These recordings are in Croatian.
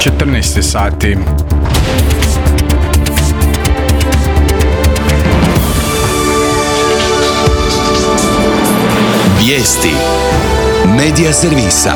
14 sati. Vijesti Medija servisa.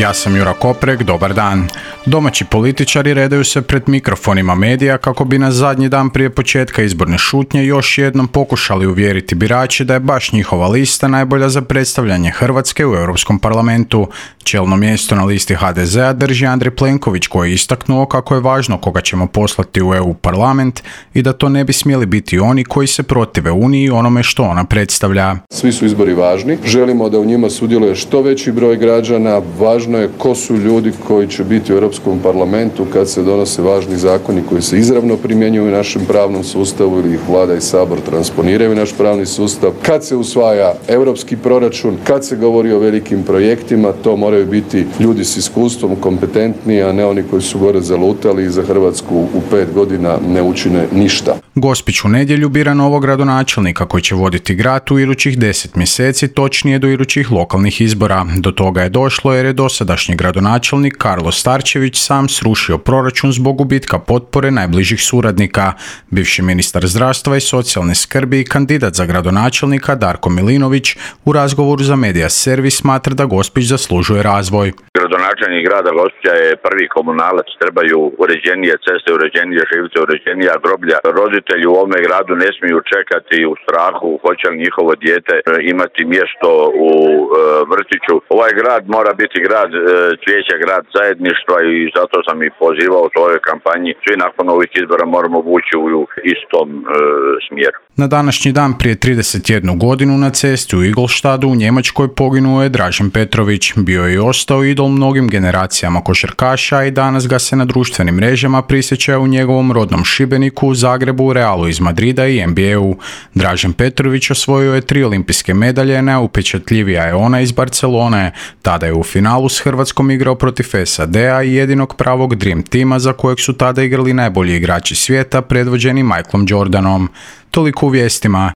Ja sam Jura Koprek, dobar dan. Domaći političari redaju se pred mikrofonima medija kako bi na zadnji dan prije početka izborne šutnje još jednom pokušali uvjeriti birače da je baš njihova lista najbolja za predstavljanje Hrvatske u Europskom parlamentu. Čelno mjesto na listi HDZ-a drži Andrej Plenković, koji je istaknuo kako je važno koga ćemo poslati u EU parlament i da to ne bi smjeli biti oni koji se protive Uniji i onome što ona predstavlja. Svi su izbori važni, želimo da u njima sudjeluje što veći broj građana, važno je ko su ljudi koji će biti u Europskom parlamentu kad se donose važni zakoni koji se izravno primjenjuju u našem pravnom sustavu ili ih Vlada i Sabor transponiraju u naš pravni sustav, kad se usvaja europski proračun, kad se govori o velikim projektima, to moraju biti ljudi s iskustvom, kompetentni, a ne oni koji su gore zalutali i za Hrvatsku u 5 godina ne učine ništa. Gospić u nedjelju bira novog gradonačelnika koji će voditi grad u idućih 10 mjeseci, točnije do idućih lokalnih izbora. Do toga je došlo jer je dosadašnji gradonačelnik Karlo Starčević sam srušio proračun zbog gubitka potpore najbližih suradnika. Bivši ministar zdravstva i socijalne skrbi i kandidat za gradonačelnika Darko Milinović u razgovoru za Medija servis smatra da Gospić zaslužuje razvoj. Gradonačelnik grada Gospića je prvi komunalac, trebaju uređenije ceste, uređenije živce, uređenija groblja. Roditelji u ovome gradu ne smiju čekati u strahu hoće li njihovo dijete imati mjesto u vrtiću. Ovaj grad mora biti grad cvijeća, grad zajedništva i zato sam i pozivao u svojoj kampanji. Svi nakon ovih izbora moramo vući u istom smjeru. Na današnji dan prije 31 godinu na cesti u Ingolstadu u Njemačkoj poginuo je Dražen Petrović. Bio je i ostao idol mnogim generacijama košarkaša i danas ga se na društvenim mrežama prisjeća u njegovom rodnom Šibeniku, Zagrebu, Realu iz Madrida i NBA-u. Dražen Petrović osvojio je 3 olimpijske medalje, najupečatljivija je ona iz Barcelone. Tada je u finalu s Hrvatskom igrao protiv SAD-a i jedinog pravog Dream tima za kojeg su tada igrali najbolji igrači svijeta predvođeni Michaelom Jordanom. Toliko u vijestima.